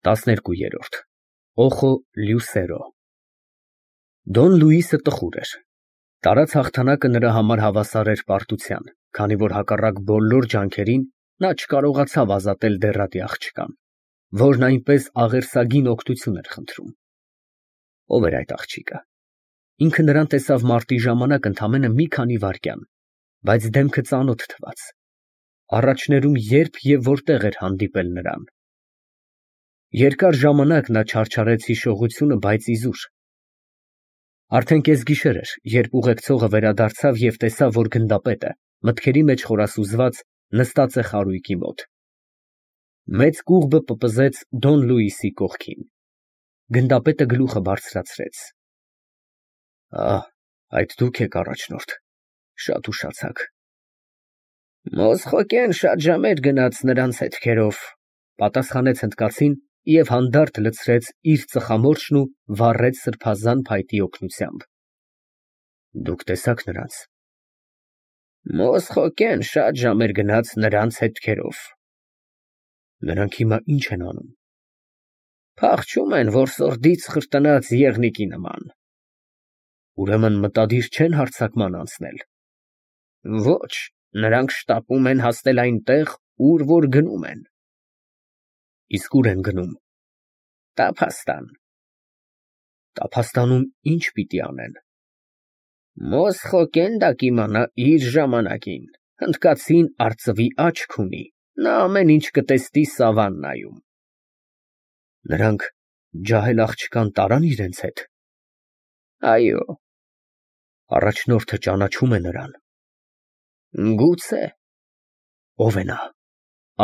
12-րդ Օխո Լյուսերո Դոն Լուիսը տխուր էր։ Տարած հաղթանակը նրա համար հավասար էր պարտության, քանի որ հակառակ բոլոր ջանքերին նա չկարողացավ ազատել դեռատի աղջկան, որն այնպես աղերսագին օգնություն էր խնդրում։ Ո՞վ էր այդ աղջիկը։ Ինքը նրան տեսավ մարտի ժամանակ ընդամենը մի քանի վայրկյան, բայց դեմքը ծանոթ թվաց։ Առաջներում երբ և որտեղ էր հանդիպել նրան։ Երկար ժամանակ նա չարչարեց հիշողությունը, բայց իզուր։ Արդեն կեսգիշեր էր, երբ ուղեկցողը վերադարձավ և տեսավ, որ գնդապետը, մտքերի մեջ խորասուզված, նստած է խարույկի մոտ։ Մեծ կուղբը պպզեց Դոն Լուիսի կողքին։ Գնդապետը գլուխը բարձրացրեց։ Այդ դուք եք, առաջնորդ, շատ ուշացաք։ Մոսխոկեն շատ ժամեր գնաց նրանց հետքերով, պատասխանեց հնդկացին և հանդարտ լցրեց իր ծխամորճն ու վառեց սրբազան փայտի օգնությամբ։ Դուք տեսա՞ք նրանց։ Մոսխոկեն շատ ժամեր գնաց նրանց հետքերով։ Նրանք հիմա ինչ են անում։ Փախչում են որսորդից խրտնած եղնիկի նման։ Ուրեմն մտադիր չեն հարձակման անցնել։ Ոչ, նրանք շտապում են հասնել այնտեղ, ուր որ գնում են։ Իսկ ուր են գնում։ Տափաստան։ Տափաստանում ինչ պիտի անեն։ Մոսխոկեն դա կիմանա իր ժամանակին։ Հնդկացին արծվի աչք ունի, նա ամեն ինչ կտեսնի սավաննայում։ Նրանք ջահել աղջկան տարան իրենց հետ։ Այո։ Առաջնորդը ճանաչում է նրան։ Գուցե։ Ո՞վ է նա։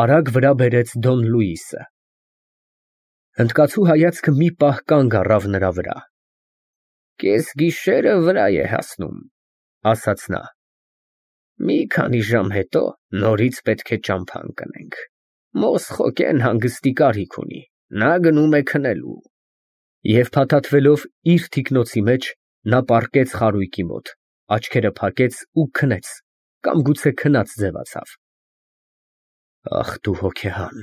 Արագ վրա բերեց Դոն Լուիսը։ Հնդկացու հայացքը մի պահ կանգ առավ նրա վրա։ Կեսգիշերը վրա է հասնում, ասաց նա։ Մի քանի ժամ հետո նորից պետք է ճամփա ընկնենք։ Մոսխոկեն հանգստի կարիք ունի, նա գնում է քնելու։ Եվ փաթաթվելով իր թիկնոցի մեջ, նա պառկեց խարույկի մոտ, աչքերը փակեց ու քնեց, կամ գուցե քնած ձևացավ։ Ախ դու հոգեհան,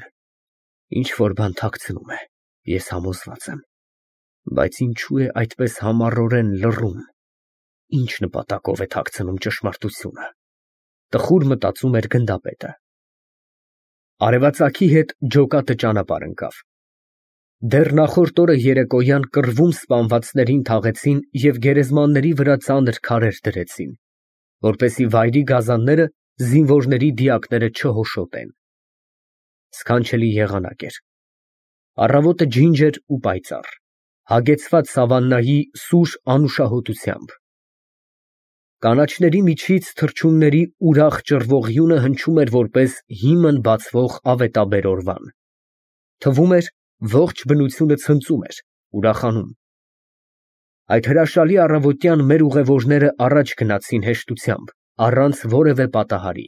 ինչ որ բան թաքցնում է, ես համոզված եմ, բայց ինչու է այդպես համառորեն լռում, ինչ նպատակով է թաքցնում ճշմարտությունը, տխուր մտածում էր գնդապետը։ Արևածագի հետ ջոկատը ճանապարհ ընկավ։ Դեռ նախորդ օրը երեկոյան կռվում սպանվածներին թաղեցին և գերեզմանների վրա ծանր քարեր դրեցին, որպեսզի վայրի գազանները զինվորների դիակները չհոշոտեն։ Սքանչելի եղանակ էր։ Առավոտը ջինջ էր ու պայծառ, հագեցված սավաննայի սուր անուշահոտությամբ։ Կանաչների միջից թռչունների ուրախ ճռվող հնչում էր որպես հիմն բացվող ավետաբեր օրվան։ Թվում էր, ողջ բնությունը ցնծում էր, ուրախանում։ Այդ հրաշալի առավոտյան մեր ուղևորները առաջ գնացին հեշտությամբ, առանց որևէ պատահարի։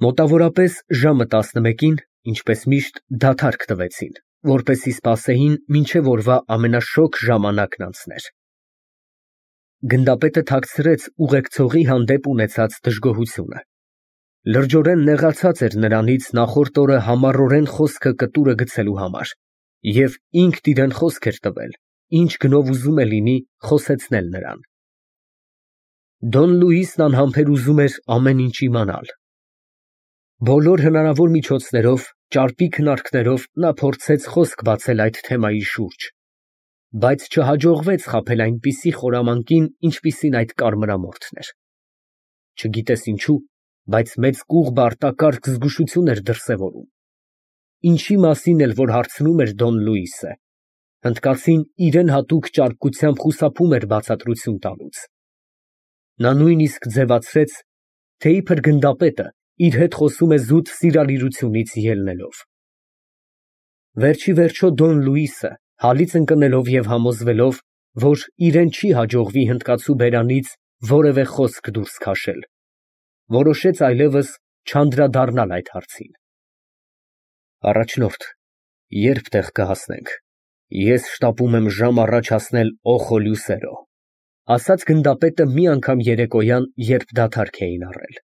Մոտավորապես ժամը 11-ին, ինչպես միշտ, դադարք տվեցին, որպեսզի սպասեին մինչև օրվա ամենաշոգ ժամանակն անցներ։ Գնդապետը թաքցրեց ուղեկցողի հանդեպ ունեցած դժգոհությունը։ Լրջորեն նեղացած էր նրանից նախորդ օրը համառորեն խոսքը կտուրը գցելու համար, և ինքն իրեն խոսք էր տվել, ինչ գնով ուզում է լինի խոսեցնել նրան։ Դոն Լուիսն անհամբեր ուզում էր ամեն ինչ իմանալ։ Բոլոր հնարավոր միջոցներով, ճարպի քննարկներով նա փորձեց խոսք բացել այդ թեմայի շուրջ, բայց չհաջողվեց խաբել այնպիսի խորամանկին, ինչպիսին այդ կարմրամորթն էր։ Չգիտես ինչու, բայց մեծ կուղբը արտակարգ զգուշություն էր դրսևորում։ Ինչի մասին էլ որ հարցնում էր Դոն Լուիսը, հնդկացին իրեն հատուկ ճարպկությամբ խուսափում էր բացատրություն տալուց։ Նա նույնիսկ ձևացրեց, թե իբր գնդապետը իր հետ խոսում է զուտ սիրալիրությունից ելնելով։ Վերջիվերջո Դոն Լուիսը, հալից ընկնելով և համոզվելով, որ իրեն չի հաջողվի հնդկացու բերանից որևէ խոսք դուրս քաշել, որոշեց այլևս չանդրադառնալ այդ հարցին։ Առաջնորդ, երբ տեղ կհասնենք, ես շտապում եմ ժամ առաջ հասնել Օխո Լյուսերո, ասաց գնդապետը մի անգամ երեկոյան, երբ դադարք էին առել։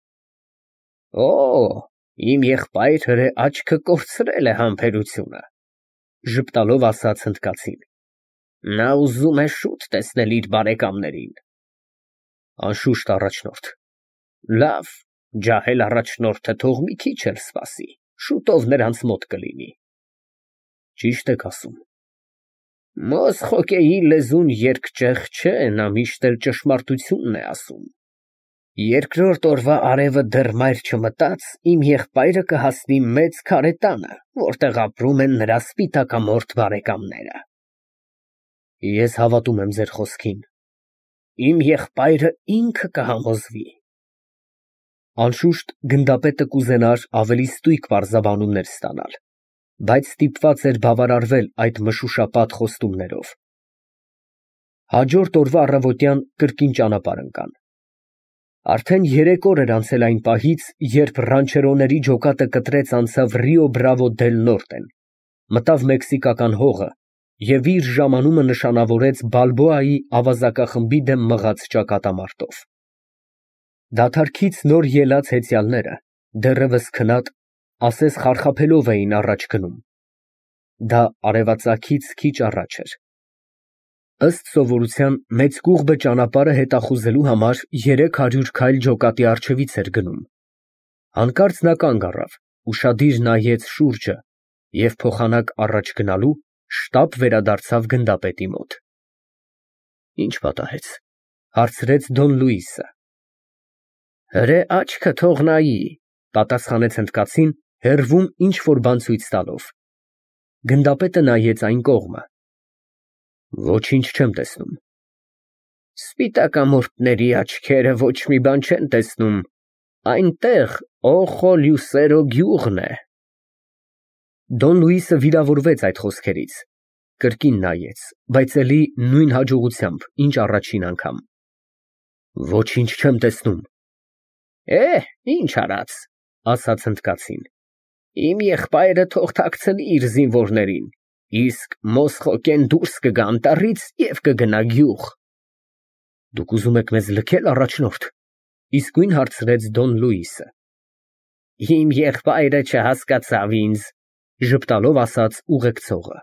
Իմ եղբայր հրե աչքը կորցրել է համբերությունը։ ժպտալով ասաց հնդկացին. Նա ուզում է շուտ տեսնել իր բարեկամներին։ Անշուշտ առաջնորդ։ Լավ, ջահել առաջնորդը թող մի քիչ էլ սպասի, շուտով նրանց մոտ կլինի։ Ճիշտ եք ասում։ Մոսխոկեի լեզուն երկճեղ չէ, նա միշտ էլ ճշմարտությունն է ասում։ Երկրորդ օրվա արևը դեռ մայր չմտած, իմ եղբայրը կհասնի մեծ քարե տանը, որտեղ ապրում են նրա սպիտակամորթ բարեկամները։ Ես հավատում եմ ձեր խոսքին։ Իմ եղբայրը ինքը կհամոզվի։ Անշուշտ գնդապետը կուզենար ավելի ստույգ պարզաբանումներ ստանալ, բայց ստիպված էր բավարարվել այդ մշուշապատ խոստումներով։ Հաջորդ օրվա առավոտյան կրկին ճանապարհ ընկան։ Արդեն 3 օր էր անցել այն պահից, երբ ռանչերոների ջոկատը կտրեց անցավ Ռիո Բրավո դել Նորտեն, մտավ մեքսիկական հողը և իր ժամանումը նշանավորեց Բալբոայի ավազակախմբի դեմ մղած ճակատամարտով։ Դադարքից նոր ելած հեծյալները, դեռևս քնած, ասես խարխափելով էին առաջ գնում։ Դա արևածագից քիչ առաջ էր։ Ըստ սովորության մեծ կուղբը ճանապարհը հետախուզելու համար 300 քայլ ջոկատի առջևից էր գնում։ Հանկարծ նա կանգ առավ, ուշադիր նայեց շուրջը և փոխանակ առաջ գնալու շտապ վերադարձավ գնդապետի մոտ։ Ինչ պատահեց, հարցրեց Դոն Լուիսը։ Հրե աչքը թող նայի, պատասխանեց հնդկացին, հեռվում ինչ որ բան ցույց տալով։ Գնդապետը նայեց այն կողմը։ Ոչինչ չեմ տեսնում։ Սպիտակամորթների աչքերը ոչ մի բան չեն տեսնում, այնտեղ Օխո Լյուսերո գյուղն է։ Դոն Լուիսը վիրավորվեց այդ խոսքերից, կրկին նայեց, բայց էլի նույն հաջողությամբ, ինչ առաջին անգամ։ Ոչինչ չեմ տեսնում։ Ինչ արած, ասաց հնդկացին։ Իմ եղբայրը թող թաքցնի իր զինվորներին, իսկ Մոսխոկեն դուրս կգա անտառից և կգնա գյուղ։ Դուք ուզում եք մեզ լքել, առաջնորդ, իսկույն հարցրեց Դոն Լուիսը։ Իմ եղբայրը չհասկացավ ինձ, ժպտալով ասաց ուղեկցողը։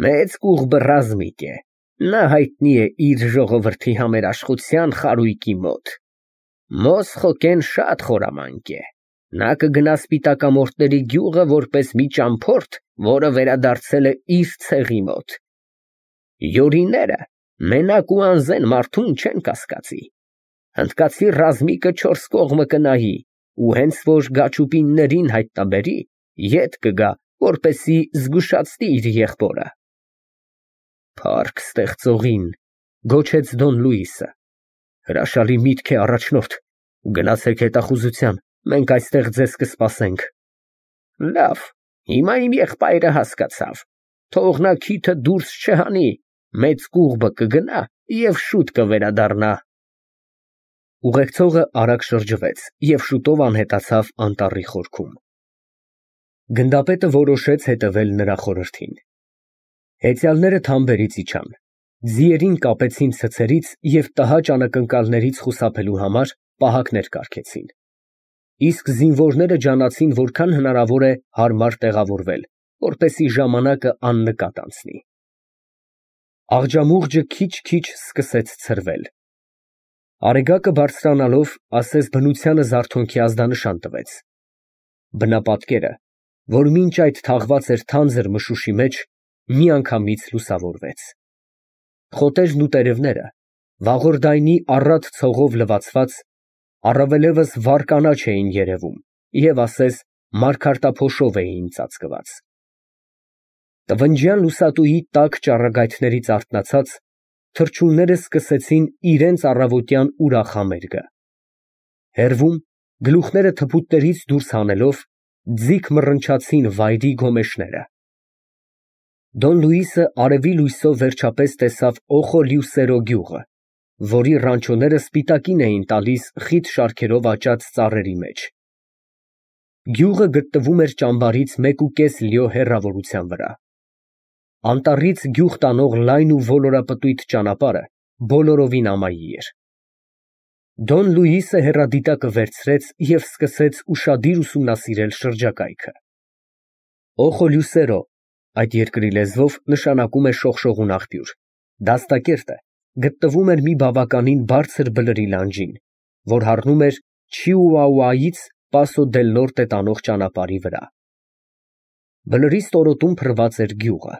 Մեծ կուղբը ռազմիկ է, նա հայտնի է իր ժողովրդի համերաշխության խարույկի մոտ։ Մոսխոկեն շատ խորամանկ է, նա կգնա սպիտակամորթների գյուղը որպես մի ճամփորդ, որը վերադարձել է իր ցեղի մոտ։ Յորիները մենակ ու անզեն մարդուն չեն կասկածի։ Հնդկացի ռազմիկը 4 կողմը կնայի ու հենց որ գաչուպիններին հայտնաբերի, ետ կգա, որպեսի զգուշացնի իր եղբորը։ Փառք ստեղծողին, գոչեց Դոն Լուիսը։ Հրաշալի միտք է, առաջնորդ, գնացեք հետախուզության, մենք այստեղ ձեզ կսպասենք։ Լավ, հիմա իմ եղբայրը հասկացավ, թող նա քիթը դուրս չհանի, մեծ կուղբը կգնա և շուտ կվերադառնա։ Ուղեկցողը արագ շրջվեց և շուտով անհետացավ անտառի խորքում։ Գնդապետը որոշեց հետևել նրա խորհրդին։ Հեծյալները թամբերից իջան, ձիերին կապեցին ցցերից և տհաճ անակնկալներից խուսափելու համար պահակներ կարգեցին։ Իսկ զինվորները ջանացին որքան հնարավոր է հարմար տեղավորվել, որպեսզի ժամանակը աննկատ անցնի։ Աղջամուղջը քիչ-քիչ սկսեց ցրվել։ Արեգակը բարձրանալով, ասես բնությանը զարթոնքի ազդանշան տվեց։ Բնապատկերը, որ մինչ այդ թաղված էր թանձր մշուշի մեջ, միանգամից լուսավորվեց։ Խոտերն ու տերևները, վաղորդայնի առատ ցողով լվացված, առավելևս վառ կանաչ էին երևում և ասես մարգարտափոշով էին ծածկված։ Տվնջյան լուսատուի տաք ճառագայթներից արթնացած, թռչունները սկսեցին իրենց առավոտյան ուրախ համերգը։ Հեռվում, գլուխները թփուտներից դուրս հանելով, ձիգ մռնչացին վայրի գոմեշները։ Դոն Լուիսը արևի լույսով վերջապես տեսավ Օխո Լյուսերո գյուղը, որի ռանչոները սպիտակին էին տալիս խիտ շարքերով աճած ծառերի մեջ։ Գյուղը գտնվում էր ճամբարից 1.5 լիո հեռավորության վրա։ Անտառից գյուղ տանող լայն ու ոլորապտույտ ճանապարհը բոլորովին ամայի էր։ Դոն Լուիսը հեռադիտակը վերցրեց և սկսեց ուշադիր ուսումնասիրել շրջակայքը։ Օխո Լյուսերո, Այդ երկրի լեզվով նշանակում է շողշողուն աղբյուր։ Դաստակերտը գտնվում էր մի բավականին բարձր բլրի լանջին, որ հառնում էր Չիուաուայից Պասո դել Նորտե տանող ճանապարհի վրա։ Բլրի ստորոտում փռված էր գյուղը։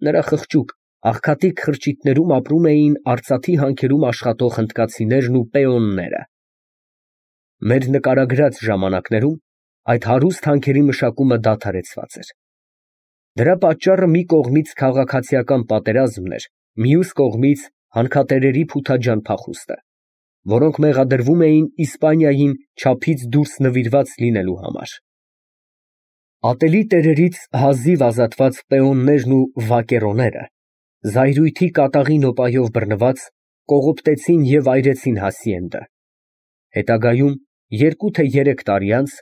Նրա խղճուկ, աղքատիկ խրճիթներում ապրում էին արծաթի հանքերում աշխատող հնդկացիներն ու պեոնները։ Մեր նկարագրած ժամանակներում այդ հարուստ հանքերի մշակումը դադարեցված էր։ Դրա պատճառը մի կողմից քաղաքացիական պատերազմն էր, մյուս կողմից հանքատերերի փութաջան փախուստը, որոնք մեղադրվում էին Իսպանիային չափից դուրս նվիրված լինելու համար։ Ատելի տերերից հազիվ ազատված պեոններն ու վակերոները, զայրույթի կատաղի նոպայով բռնված, կողոպտեցին և այրեցին հասիենդը։ Հետագայում, 2 թե 3 տարի անց,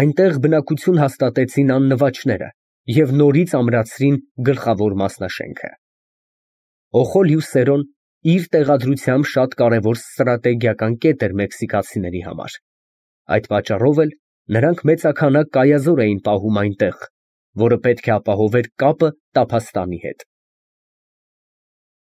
այնտեղ բնակություն հաստատեցին աննվաճները և նորից ամրացրին գլխավոր մասնաշենքը։ Օխոլիու իր տեղադրությամբ շատ կարևոր ստրատեգիական կետ էր մեքսիկացիների համար։ Այդ պատճառով էլ նրանք մեծաքանակ կայազոր էին պահում այնտեղ, որը պետք է ապահովեր կապը Տափաստանի հետ։